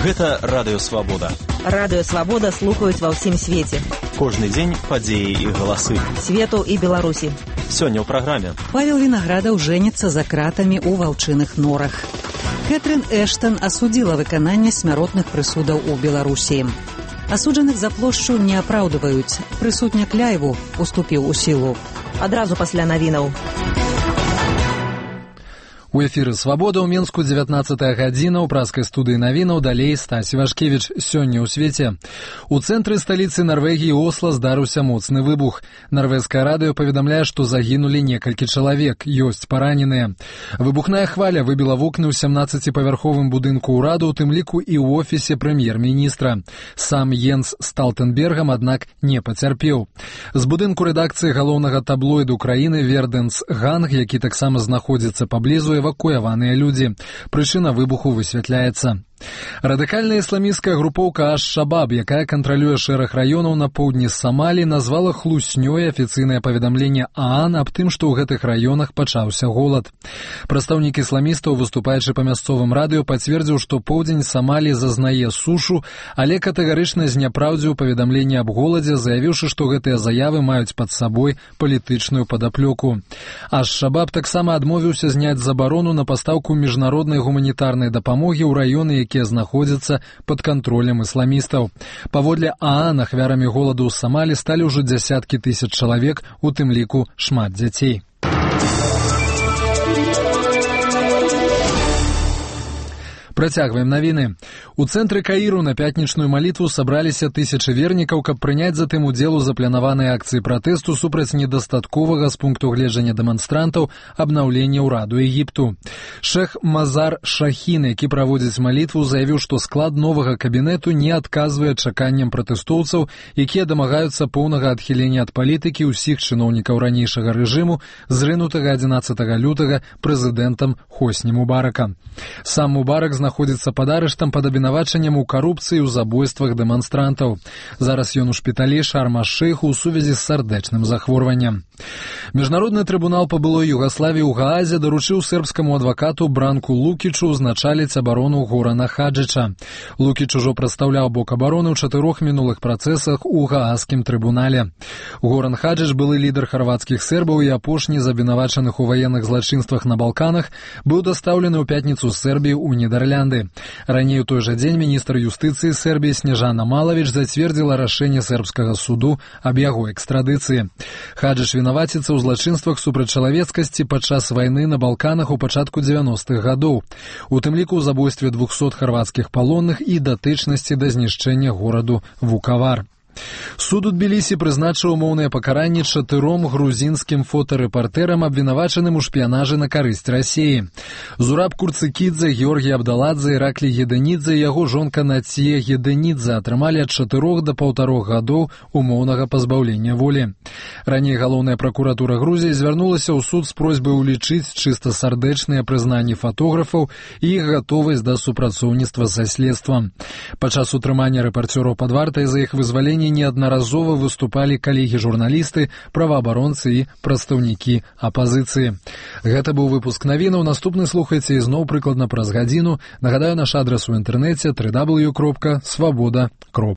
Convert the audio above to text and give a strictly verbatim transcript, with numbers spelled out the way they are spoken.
Гэта Радыё Свабода. Радыё Свабода слухаюць ва ўсім свеце. Кожны дзень падзеі і галасы. Свету і Беларусі. Сёння ў праграме. Павел Вінаградаў жэніцца за кратамі ў ваўчыных норах. Кэтрын Эштон асудзіла выкананне смяротных прысудаў у Беларусі. Асуджаных за плошчу не апраўдваюць. Прысуд Някляеву уступіў у сілу. Адразу пасля навінаў. У эфіры «Свабода» ў Менску дзевятнаццатая гадзіна, ў праскай студыі навінаў, далей Стась Івашкевіч. Сёння ў свеце. У цэнтры сталіцы Нарвегіі Осла здарыўся моцны выбух. Нарвежскае радыё паведамляе, што загінулі некалькі чалавек, ёсць параненыя. Выбухная хваля выбіла вокны ў сямнаццаціпавярховым будынку ўраду, у тым ліку і ў офісе прэм'ер-міністра. Сам Йенс Сталтенбергам, аднак, не пацярпеў. З будынку рэдакцыі галоўнага таблоіду краіны «Верденс Ганг», які таксама знаходзіцца паблізу, эвакуяваныя людзі. Прычына выбуху высвятляецца. Радыкальная ісламісцкая групоўка Аш-Шабаб, якая кантралюе шэраг раёнаў на поўдні Самалі, назвала хлуснёй афіцыйнае паведамленне ААН аб тым, што ў гэтых раёнах пачаўся голад. Прадстаўнік ісламістаў, выступаючы па мясцовым радыё, пацвердзіў, што поўдзень Самалі зазнае сушу, але катэгарычна зняпраўдзіў паведамленне аб голадзе, заявіўшы, што гэтыя заявы маюць пад сабой палітычную падаплёку. Аш-Шабаб таксама адмовіўся зняць забарону на пастаўку міжнароднай гуманітарнай дапамогі ў раёны, якія знаходзяцца пад кантролем ісламістаў. Паводле ААН ахвярамі голаду ў Самалі сталі ўжо дзясяткі тысяч чалавек, у тым ліку шмат дзяцей. Працягваем навіны. У цэнтры Каіру на пятнічную малітву сабраліся тысячы вернікаў, каб прыняць затым удзел у запланаванай акцыі пратэсту супраць недастатковага з пункту гледжання дэманстрантаў абнаўлення ўраду Егіпту. Шэх Мазар Шахін, які праводзіць малітву, заявіў, што склад новага кабінету не адказвае чаканням пратэстоўцаў, якія дамагаюцца поўнага адхілення ад палітыкі ўсіх чыноўнікаў ранейшага рэжыму, зрынутага адзінаццатага лютага прэзідэнтам Хосні Мубарака. Сам Мубарак знаходзіцца пад арыштам пад абвінавачаннем у карупцыі ў забойствах дэманстрантаў. Зараз ён у шпіталі Шарм-аш-Шэйху ў сувязі з сардэчным захворваннем. Міжнародны трыбунал па былой Югаславіі ў Гаазе даручыў сербскаму адвакату Бранку Лукічу ўзначаліць абарону Горана Хаджыча. Лукіч ужо прадстаўляў бок абароны ў чатырох мінулых працэсах у Гааскім трыбунале. Горан Хаджыч, былы лідар харвацкіх сербаў і апошні з абвінавачаных у ваенных злачынствах на Балканах, быў дастаўлены ў пятніцу з Сербіі ў Нідерлянды. Раней у той жа дзень міністр юстыцыі Сербіі Снежана Малавіч зацвердзіла рашэнне сербскага суду аб яго экстрадыцыі. Хаджыч вінаваціцца ў злачынствах супраць чалавецкасці падчас вайны на Балканах у пачатку дзевяностых гадоў, у тым ліку ў забойстве двухсот харвацкіх палонных і датычнасці да знішчэння гораду Вукавар. Суд у Тбілісі прызначыў умоўнае пакаранне чатыром грузінскім фотарэпартэрам, абвінавачаным у шпіянажы на карысць Расіі. Зураб Курцыкідзе, Георгій Абдаладзе, Іраклі Гедэнідзе і яго жонка Нація Гедэнідзе атрымалі ад чатырох да паўтарох гадоў умоўнага пазбаўлення волі. Раней галоўная пракуратура Грузіі звярнулася ў суд з просьбай улічыць чыста сардэчныя прызнанні фатографаў і іх гатовасць да супрацоўніцтва са следствам. Падчас утрымання рэпарцёраў пад вартай за іх вызваленне неаднаразова выступалі калегі-журналісты, праваабаронцы і прадстаўнікі апазіцыі. Гэта быў выпуск навінаў. Наступны слухайце ізноў прыкладна праз гадзіну. Нагадаю, наш адрас у інтэрнэце дабл ю дабл ю дабл ю кропка свабода кропка